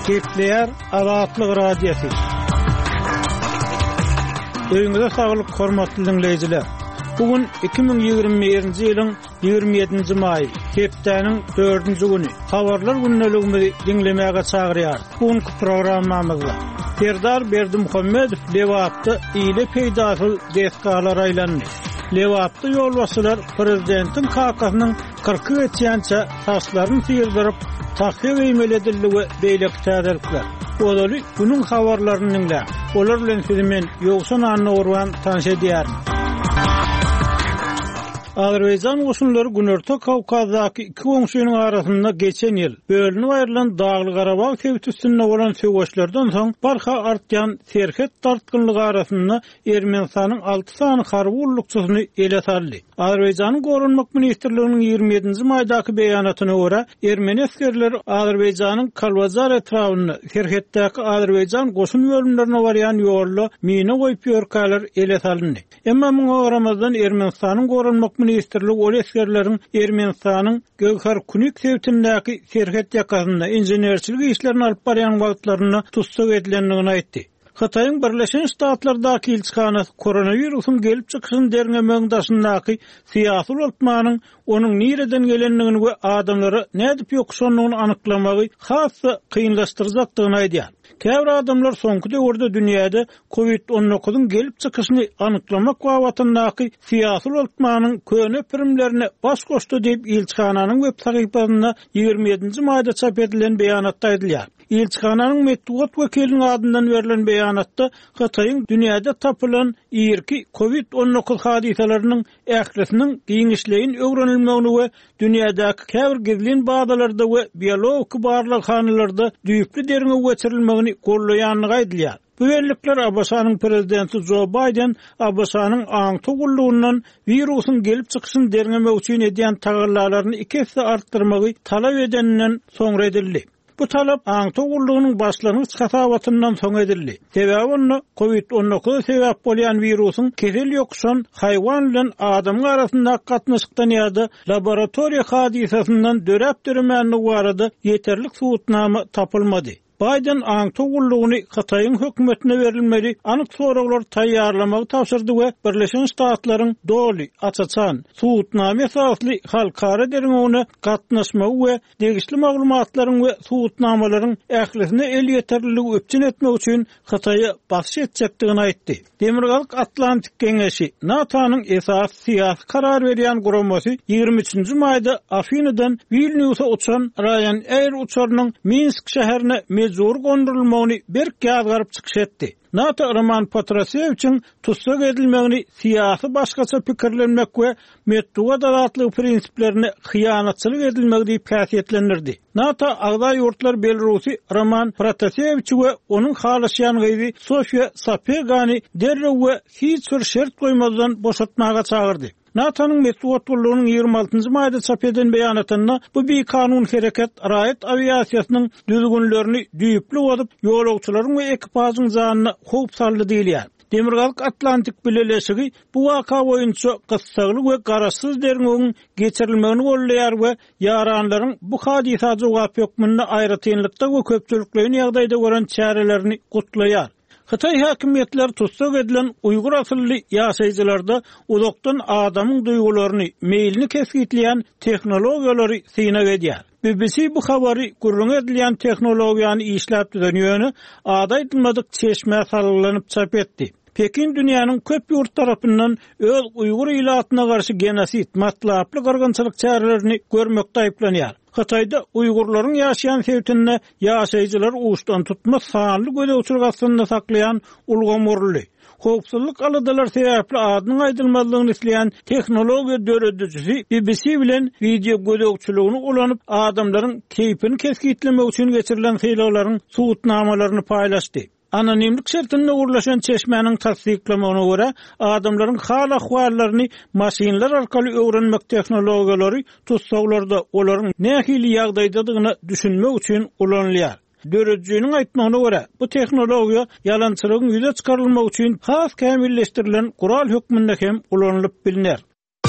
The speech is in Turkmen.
Gepleýär Azatlyk Radiosy. Öýüňize saglyk, hormatly diňleýjiler. Bu gün 2021-nji ýylyň 27-nji maýy, hepdäniň dördünji güni. Habarlar gündeligimizi diňlemäge çagyrýarys. Bu günki programmamyzda Serdar Berdimuhamedow Lebapda ile peýdasyz desgalara aýlandy. Lebapda ýolbaşçylar prezidentiň kakasynyň kyrky geçýänçä saçlaryny syrdyryp, tahýa geýmeli edildi we beýleki täzelikler. Ozaly günüň habarlaryny diňläň. Olar bilen sizi men, Ýowşan Annagurban tanyş edýärin. Azerbaýjan goşunlary Günorta Kawkazdaky iki goňşynyň arasynda geçen ýyl bölünip aýrylan Dagly-Garabag sebiti üstünde bolan söweşlerden soň barha artýan serhet dartgynlygy arasynda Ermenistanyň alty sany harby gullukçysyny ele saldy. Azerbaýjanyň Goranmak ministrliginiň 27-nji maýdaky beýanatyna görä, ermeni esgerleri Azerbaýjanyň Kalbajar etrabynda, serhetdäki azerbaýjan goşun bölümlerine barýan ýolda mina goýup ýörkäler ele salyndy. Emma muňa garamazdan, Ermenistanyň Goranmak ministrligi ol esgerleriň Ermenistanyň Gegharkunik sebitindäki serhet ýakasynda inženerçilik işlerini alyp barýan wagtlarynda tussag edilendigini aýtdy. Hytaýyň Birleşen Ştatlardaky ilçihanasy koronawirusyň gelip çykyşyny derňemegiň daşyndaky syýasy ulaltmanyň onuň nireden gelendigini we adamlara nädip ýokuşandygyny anyklamagy has-da kynlaşdyrjakdygyny aýdýar. Käbir adamlar soňky döwürde dünýäde Covid on dokuzyň gelip çykyşyny anyklamak babatyndaky syýasy ulaltmanyň köne pirimlerine baş goşdy diýip, ilçihananyň web sahypasynda 27-nji maýda çap edilen beýanatda aýdylýar. Ilçihananyň metbugat wekiliniň adyndan berlen beýanatda Hytaýyň dünýäde tapylan irki Covid 19 hadysalarynyň ählisiniň giňişleýin öwrenilmegini we dünýädäki käbir gizlin bazalarda we biologiki barlaghanalarda düýpli derňew geçirilmegini goldaýandygy aýdylýar. Bu bellikler ABŞ-nyň prezidenti Jo Baýden ABŞ-nyň aňtaw gullugyndan wirusyň gelip çykyşyny derňemek üçin edýän tagallalaryny iki esse artdyrmagy talap edeninden soňra edildi. Bu talap aňtaw gullugynyň başlangyç hasabatyndan soň edildi. Sebäbi onda Covid 19 sebäp bolýan wirusyň kesel ýokuşan haýwan bilen adamyň arasyndaky gatnaşykdan ýa-da laboratoriýa hadysasyndan döräp-döremändigi barada ýeterlik subutnama tapylmady. Baýden aňtaw gullugyny Hytaýyň hökümetine berilmeli anyk soraglary taýýarlamagy tabşyrdy we Birleşen Ştatlaryň doly, aç-açan, subutnama esasly halkara derňewine gatnaşmagy we degişli maglumatlaryň we subutnamalaryň ählisine elýeterliligi üpjün etmek üçin Hytaýa basyş etjekdigini aýtdy. Demirgazyk Atlantik Geňeşi, NATO-nyň esasy syýasy karar berýän guramasy 23-nji maýda Afinydan Wilnýusa uçan Ryanair uçarynyň Minsk şäherine mejbury gondurylmagyny berk ýazgaryp çykyş etdi. NATO Roman Protasewiçiň tussag edilmegini syýasy başgaça pikirlenmek we metbugat azatlygy prinsiplerine hyýanatçylyk edilmegi diýip häsiýetlendirdi. NATO agza ýurtlar Belarusy Roman Protasewiçi we onuň halaşýan gyzy Sofiýa Sapegany derrew we hiç bir şert goýmazdan boşatmaga çagyrdy. NATO-nyň metbugat gullugynyň 26-njy maýda çap eden beýanatynda bu bikanun hereket raýat awiasiýasynyň düzgünlerini düýpli bozup, ýolagçylaryň we ekipažyň janyna howp saldy diýilýär. Demirgazyk Atlantik Bileleşigi bu waka boýunça gyssagly we garaşsyz derňewiň geçirilmegini goldaýar we ýaranlaryň bu hadysa jogap hökmünde aýratynlykda we köpçülikleýin ýagdaýda gören çärelerini gutlaýar. Hytaý häkimiýetleri tussag edilen uýgur asylly ýaşaýjylarda uzakdan adamyň duýgularyny, meýlini kesgitleýän tehnologiýalary synag edýär. BBC bu habary gürrüňi edilýän tehnologiýany işläp düzen ýöne ady aýdylmadyk çeşmä salgylanyp çap etdi. Pekin dünýäniň köp ýurt tarapyndan öz uýgur ilatyna garşy genosid, matlaply gyrgynçylyk çärelerini görmekde aýyplanýar. Hytaýda uýgurlaryň ýaşaýan sebitinde ýaşaýjylary uçdantutma sanly gözegçilik astynda saklaýan ulgam guruldy. Howpsuzlyk aladalary sebäpli adynyň aýdylmazlygyny isleýän tehnologiýa döredijisi BBC bilen wideogözegçiligini ulanyp, adamlaryň keýpini kesgitlemek üçin geçirilen synaglaryň subutnamalaryny paýlaşdy. Anonimlik şertinde gürleşen çeşmäniň tassyklamagyna görä, adamlaryň hal-ahwallaryny maşynlar arkaly öwrenmek tehnologiýalary tussaglarda olaryň nähili ýagdaýdadygyna düşünmek üçin ulanylýar. Döredijiniň aýtmagyna görä, bu tehnologiýa ýalançylygyň ýüze çykarylmagy üçin has kämilleşdirilen gural hökmünde hem ulanylyp bilner.